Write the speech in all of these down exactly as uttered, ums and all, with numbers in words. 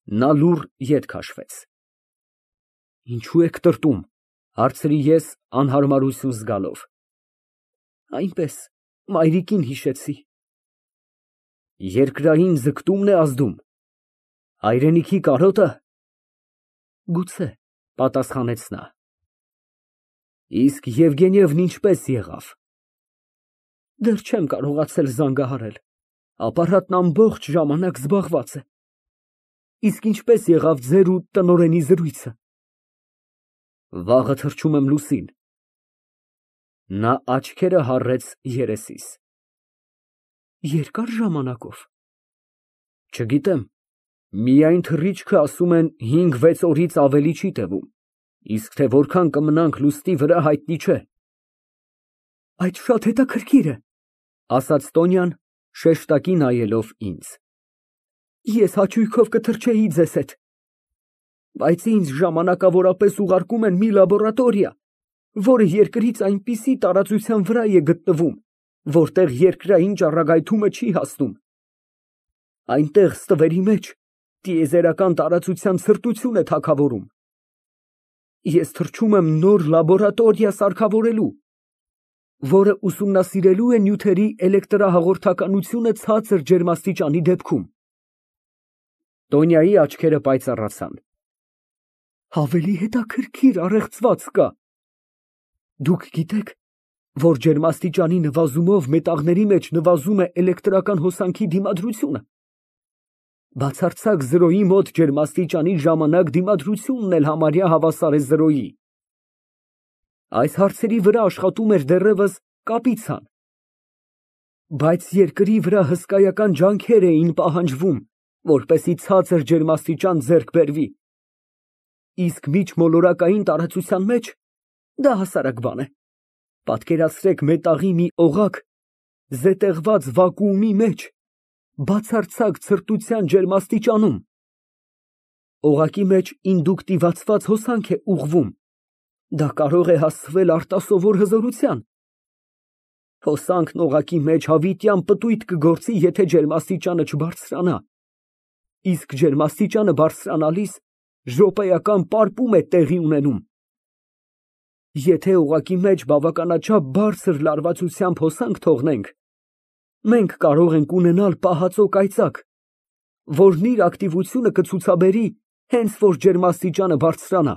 Նա լուռ ետ քաշվեց։ Ինչո՞ւ եք տրտում, հարցրի ես անհարմարություն զգալով։ Այնպես, մայրիկին հիշեցի։ Երկրային ձգտումն է ազդում, հայրենիքի կարոտը։ Գուցե, պատասխանեց նա։ Իսկ Եվգենիևն ինչպես եղավ։ Դեռ չեմ կարողացել զանգահարել, ապարատն ամբողջ ժամանակ զբաղված է։ Իսկ ինչպես եղավ ձեր ու տնօրենի զրույցը։ Վաղը թռչում եմ լուսին։ Նա աչքերը հառեց երեսիս։ Երկար ժամանակով։ Չգիտեմ, միայն թռիչքը ասում են հինգ֊վեց օրից ավելի չի տևում, իսկ թե որքան կմնանք լուսնի վրա հայտնի չէ։ Այդ շատ հետաքրքիր է, ասաց Տոնյան, շեշտակի նայելով ինձ։ Ես հաճույքով կթռչեի ձեզ հետ, բայց ինձ ժամանակավորապես ուղարկում են մի լաբորատորիա, որը երկրից այնպիսի տարածության վրա է գտնվում, որտեղ երկրային ճառագայթումը չի հասնում։ Այնտեղ ստվերի մեջ տիեզերական տարածության ցրտություն է թագավորում։ Ես թռչում եմ նոր լաբորատորիա սարքավորելու, որը ուսումնասիրելու է նյութերի էլեկտրահաղորդականությունը ցածր ջերմաստիճանի դեպքում։ Տոնյայի աչքերը պայծառացան։ Ավելի հետաքրքիր առեղծված կա։ Դուք գիտեք, որ ջերմաստիճանի նվազումով մետաղների մեջ նվազում է էլեկտրական հոսանքի դիմադրությունը։ Բացարձակ զրոյի մոտ ջերմաստիճանի ժամանակ դիմադրությունն էլ համարյա հավասար է զրոյի։ Այս հարցերի վրա աշխատում էր դեռևս Կապիցան։ Բայց երկրի վրա հսկայական ջանքեր էին պահանջվում, որպեսզի ցածր ջերմաստիճան ձեռք բերվի։ Իսկ միջմոլորակային տարածության մեջ դա հասարակ բան է։ Պատկերացրեք մետաղի մի օղակ զետեղված վակուումի մեջ, բացարձակ ցրտության ջերմաստիճանում։ Օղակի մեջ ինդուկտիվացված հոսանք է ուղղվում։ Դա կարող է հասցվել արտասովոր հզորության։ Հոսանքն օղակի մեջ հավիտյան պտույտ կգործի, եթե ջերմաստիճանը չբարձրանա։ Իսկ ջերմաստիճանը բարձրանալիս րոպեական պարպում է տեղի ունենում։ Եթե օղակի մեջ բավականաչափ բարձր լարվածությամբ հոսանք թողնենք, մենք կարող ենք ունենալ պահածո կայծակ, որն իր ակտիվությունը կցուցաբերի հենց որ ջերմաստիճանը բարձրանա։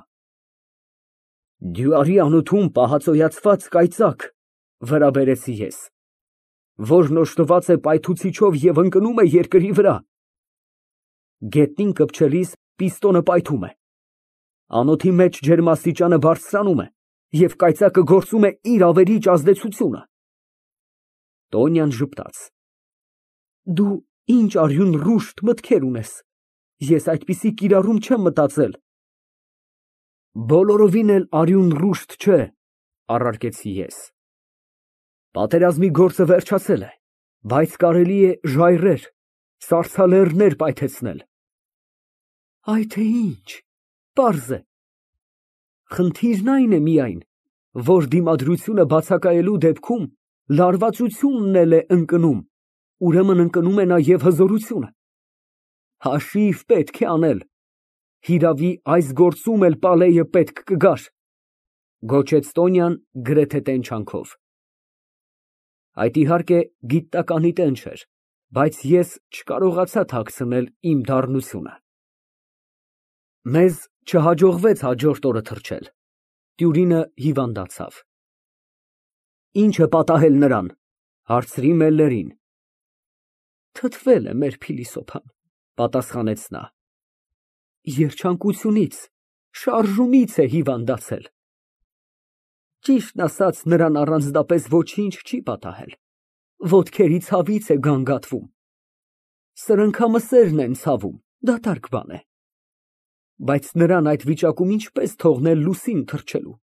Դյուարի անոթում պահածոյացված կայծակ, վրա բերեցի ես, որն օժտված է պայթուցիչով և ընկնում է երկրի վրա։ Գետնին կպչելիս պիստոնը պայթում է։ Անոթի մեջ ջերմաստիճանը բարձրանում է, և կայծակը գործում է իր ավերիչ ազդեցությունը։ Տոնյան ժպտաց։ Դու ինչ արյուն ռուշտ մտքեր ունես, ես այդպիսի կիրառում չեմ մտածել։ Բոլորովին էլ արյուն ռուշտ չէ, առարկեցի ես։ Պատերազմի գործը վերջացել է, բայց կարելի է ժայռեր, սառցալեռներ պայթեցնել։ Այ թե ինչ, պարզ է։ Խնդիրն այն է միայն, որ դիմադրությունը բացակայելու դեպքում լարվածությունն էլ է ընկնում, ուրեմն ընկնում է նաև հզորությունը։ Հաշիվ պետք է անել։ Հիրավի, այս գործում էլ պալեյը պետք կգար, գոչեց Տոնյան գրեթե տենչանքով։ Այդ իհարկե գիտականի տեն չէր, բայց ես չկարողացա թաքցնել իմ դառնությունը։ Մեզ չհաջողվեց հաջորդ օրը թռչել։ Տյուրինը հիվանդացավ։ Ինչ է պատահել նրան, հարցրի Մելլերին։ Թթվել է մեր փիլիսոփան, պատասխանեց նա։ Երջանկությունից, շարժումից է հիվանդացել։ Ճիշտն ասած, նրան առանձնապես ոչինչ չի պատահել, ոտքերի ցավից է գանգատվում։ Սրընքամսերն են ցավում, դատարկ բան է։ Բայց նրան այդ վիճակում ինչպես թողնել լուսին թռչելու։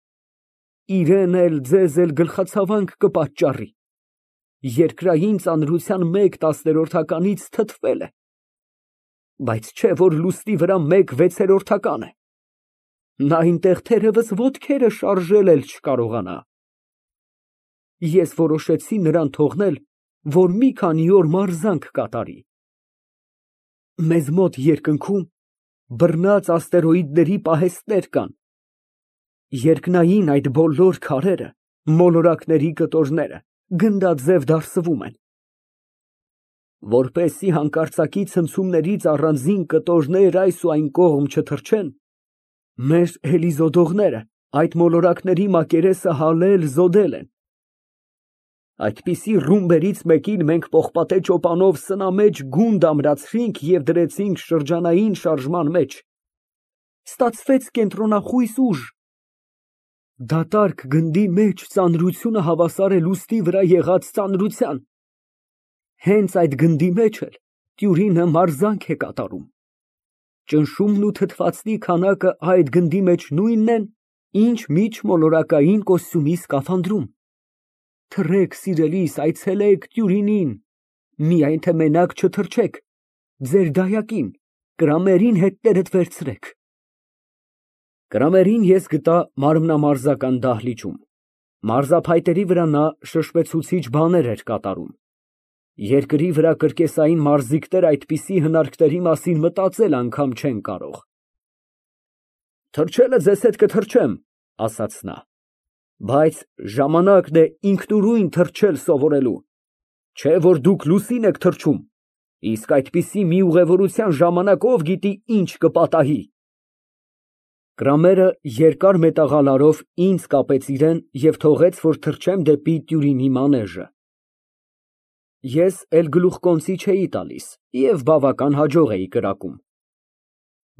Իրեն էլ, ձեզ էլ գլխացավանք կպատճառի։ Երկրային ծանրության մեկ տասներորդականից թթվել է։ Բայց չէ որ լուսնի վրա մեկ վեցերորդական է։ Նա այնտեղ թերևս ոտքերը շարժել էլ չկարողանա։ Ես որոշեցի նրան թողնել, որ մի քանի օր մարզանք կատարի։ Մեզ մոտ երկնքում բռնած աստերոիդների պահեստներ կան։ Երկնային այդ բոլոր քարերը, մոլորակների կտորները գնդաձև դարսվում են։ Որպեսզի հանկարծակի ցնցումներից առանձին կտորներ այս ու այն կողմ չթռչեն, մեր էլիզոդողները այդ մոլորակների մակերեսը հալել, զոդել են։ Այդպիսի ռումբերից մեկին մենք պողպատե ճոպանով սնամեջ գունդ ամրացրինք և դրեցինք շրջանային շարժման մեջ։ Ստացվեց կենտրոնախույս ուժ։ Դատարկ գնդի մեջ ծանրությունը հավասար է լուսնի վրա եղած ծանրության։ Հենց այդ գնդի մեջ էլ տյուրինը մարզանք է կատարում։ Ճնշումն ու թթվածնի քանակը այդ գնդի մեջ նույնն են, ինչ միջմոլորակային կոստյումի սկաֆանդրում։ Թռեք, սիրելիս, այցելեք տյուրինին, միայն թե մենակ չթռչեք, ձեր դայակին, կրամերին հետներդ վերցրեք։ Կրամերին ես գտա մարմնամարզական դահլիճում, մարզափայտերի վրա նա շշմեցուցիչ բաներ էր կատարում։ Երկրի վրա կրկեսային մարզիկներ այդպիսի հնարքների մասին մտածել անգամ չեն կարող։ Թռչելը ձեզ հետ կթռչեմ, ասաց նա, բայց ժամանակն է ինքնուրույն թռչել սովորելու, չէ որ դուք լուսին եք թռչում, իսկ այդպիսի մի ուղևորության ժամանակ ով գիտի ինչ կպատահի։ Կրամերը երկար մետաղալարով ինձ կապեց իրեն և թողեց, որ թռչեմ դեպի տյուրինի մանեժը։ Ես էլ գլուխկոնցի չէի տալիս և բավական հաջող էի կրակում։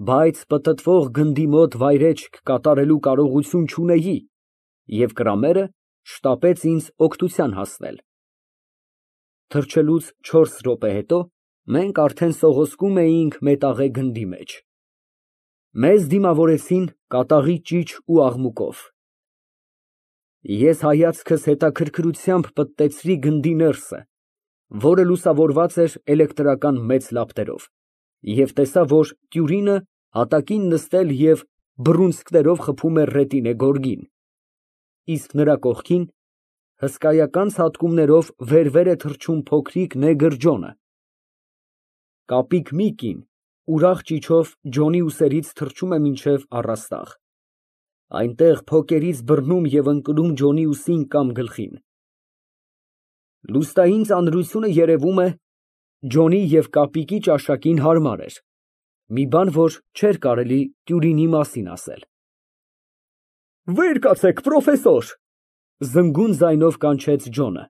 Բայց պտտվող գնդի մոտ վայրէջք կատարելու կարողություն չունեի, և կրամերը շտապեց ինձ օգնության հասնել։ Թռչելուց չորս րոպե հետո մենք արդեն սողոսկում էինք մետաղե գնդի մեջ։ Մեզ դիմավորեցին կատաղի ճիչ ու աղմուկով։ Ես հայացքս հետաքրքրությամբ պտտեցրի գնդի ներսը, որը լուսավորված էր էլեկտրական մեծ լապտերով, և տեսա, որ տյուրինը հատակին նստել և բռունցքներով խփում է ռետինե գորգին, իսկ նրա կողքին հսկայական ցատկումներով վեր֊վեր է թռչում փոքրիկ նեգր Ջոնը։ Կապիկ մի կին ուրախ ճիչով Ջոնի ուսերից թռչում է մինչև առաստաղ, այնտեղ փոկերից բռնում և ընկնում Ջոնի ուսին կամ գլխին։ Լուստային ծանրությունը, երևում է, Ջոնի և կապիկի ճաշակին հարմար էր, մի բան, որ չէր կարելի տյուրինի մասին ասել։ Վեր կացեք, պրոֆեսոր, զնգուն ձայնով կանչեց Ջոնը։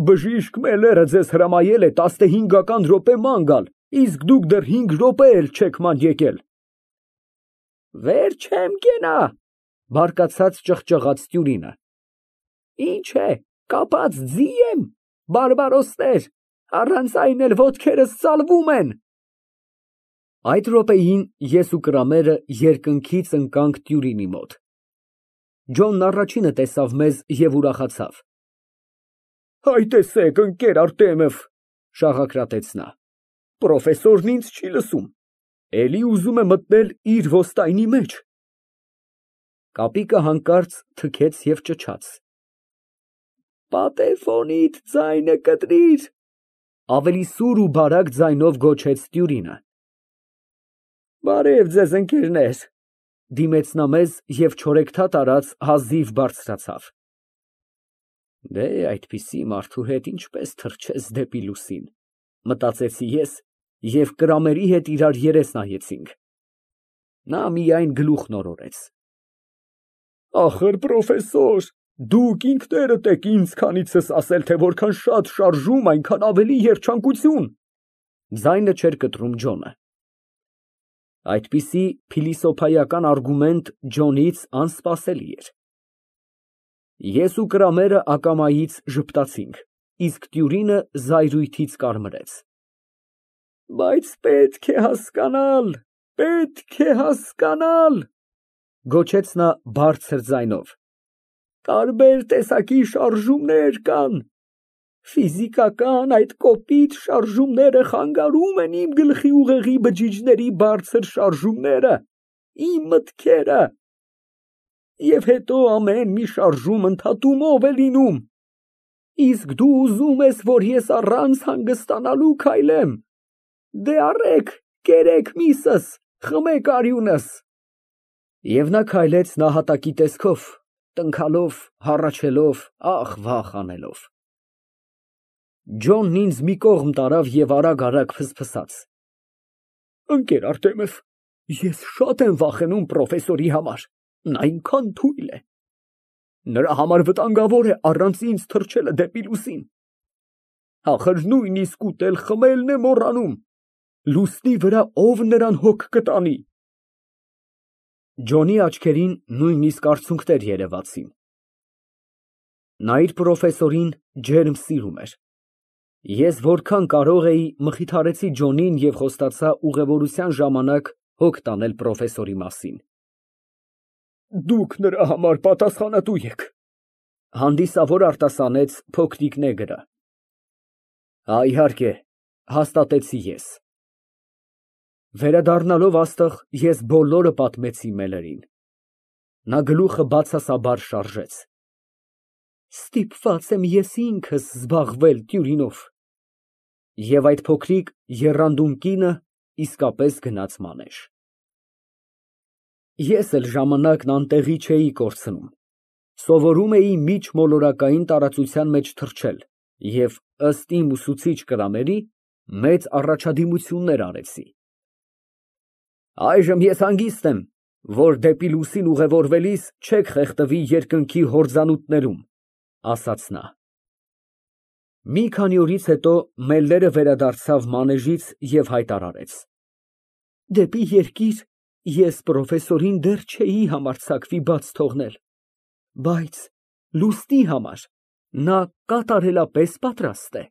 Բժիշկ Մելերը ձեզ հրամայել է տասնհինգական րոպե ման գալ, իսկ դուք դեռ հինգ րոպե էլ չեք ման եկել։ Վեր չեմ կենա, բարկացած ճղճղաց տյուրինը։ Ինչ է, կապած ձի եմ, բարբարոսներ, առանց այն էլ ոտքերս ծալվում են։ Այդ րոպեին ես ու կրամերը երկնքից ընկանք տյուրինի մոտ։ Ջոնն առաջինը տեսավ մեզ և ուրախացավ։ Հայ տեսեք, ընկեր Արտեմև, շաղակրատեց նա, պրոֆեսորն ինձ չի լսում, էլի ուզում է մտնել իր ոստայնի մեջ։ Կապիկը հանկարծ թքեց և ճչաց։ Պատեֆոնիդ ձայնը կտրիր, ավելի սուր ու բարակ ձայնով գոչեց տյուրինը։ Բարև ձեզ, ընկերներ, դիմեց նա մեզ և չորեքթաթ արած հազիվ բարձրացավ։ Դե, այդպիսի մարդու հետ ինչպես թռչես դեպի լուսին, մտածեցի ես և կրամերի հետ իրար երես նայեցինք։ Նա միայն գլուխն օրորեց։ Ախր, պրոֆեսոր, դուք ինքներդ եք ինձ քանիցս ասել, թե որքան շատ շարժում, այնքան ավելի երջանկություն, ձայնը չէր կտրում Ջոնը։ Այդպիսի փիլիսոփայական արգումենտ Ջոնից անսպասելի էր։ Ես ու կրամերը ակամայից ժպտացինք, իսկ տյուրինը զայրույթից կարմրեց։ Բայց պետք է հասկանալ, պետք է հասկանալ, գոչեց նա բարձր ձայնով, տարբեր տեսակի շարժումներ կան, ֆիզիկական այդ կոպիտ շարժումները խանգարում են իմ գլխի ուղեղի բջիջների բարձր շարժումները, իմ մտքերը, և հետո ամեն մի շարժում ընդհատումով է լինում, իսկ դու ուզում ես, որ ես առանց հանգստանալու քայլեմ, դե արեք, կերեք միսս, Խմեք արյունս։ Եվ նա քայլեց նահատակի տեսքով, տնքալով, հառաչելով, ախ, վախ անելով։ Ջոնն ինձ մի կողմ տարավ և արագ֊արագ ֆսֆսաց. Ընկեր Արտեմև, ես շատ եմ վախենում պրոֆեսորի համար, նա այնքան թույլ է։ Նրա համար վտանգավոր է առանց ինձ թռչելը դեպի լուսին։ Ախր նույնիսկ ուտել֊խմելն է մոռանում, լուսնի վրա ով նրան հոգ կտանի։ Ջոնի աչքերին նույնիսկ արցունքներ երևացին։ Նա իր պրոֆեսորին ջերմ սիրում էր։ Ես որքան կարող էի մխիթարեցի Ջոնին և խոստացա ուղևորության ժամանակ հոգ տանել պրոֆեսորի մասին։ Դուք նրա համար պատասխանատու եք, հանդիսավոր արտասանեց փոքրիկ նեգրը։ Հա, իհարկե, հաստատեցի ես։ Վերադառնալով աստղ, ես բոլորը պատմեցի Մելերին։ Նա գլուխը բացասաբար շարժեց։ Ստիպված եմ ես ինքս զբաղվել տյուրինով։ Եվ այդ փոքրիկ եռանդուն կինը իսկապես գնաց մանեժ։ Ես էլ ժամանակն անտեղի չէի կորցնում, սովորում էի միջմոլորակային տարածության մեջ թռչել և, ըստ իմ ուսուցիչ կրաների, մեծ առաջադիմություններ արեցի։ Այժմ ես հանգիստ եմ, որ դեպի լուսին ուղևորվելիս չեք խեղդվի երկնքի հորձանուտներում, ասաց նա։ Մի քանի օրից հետո Մելլերը վերադարձավ մանեժից և հայտարարեց. Դեպի երկիր ես պրոֆեսորին դեռ չէի համարձակվի բաց թողնել, բայց լուսնի համար նա կատարելապես պատրաստ է։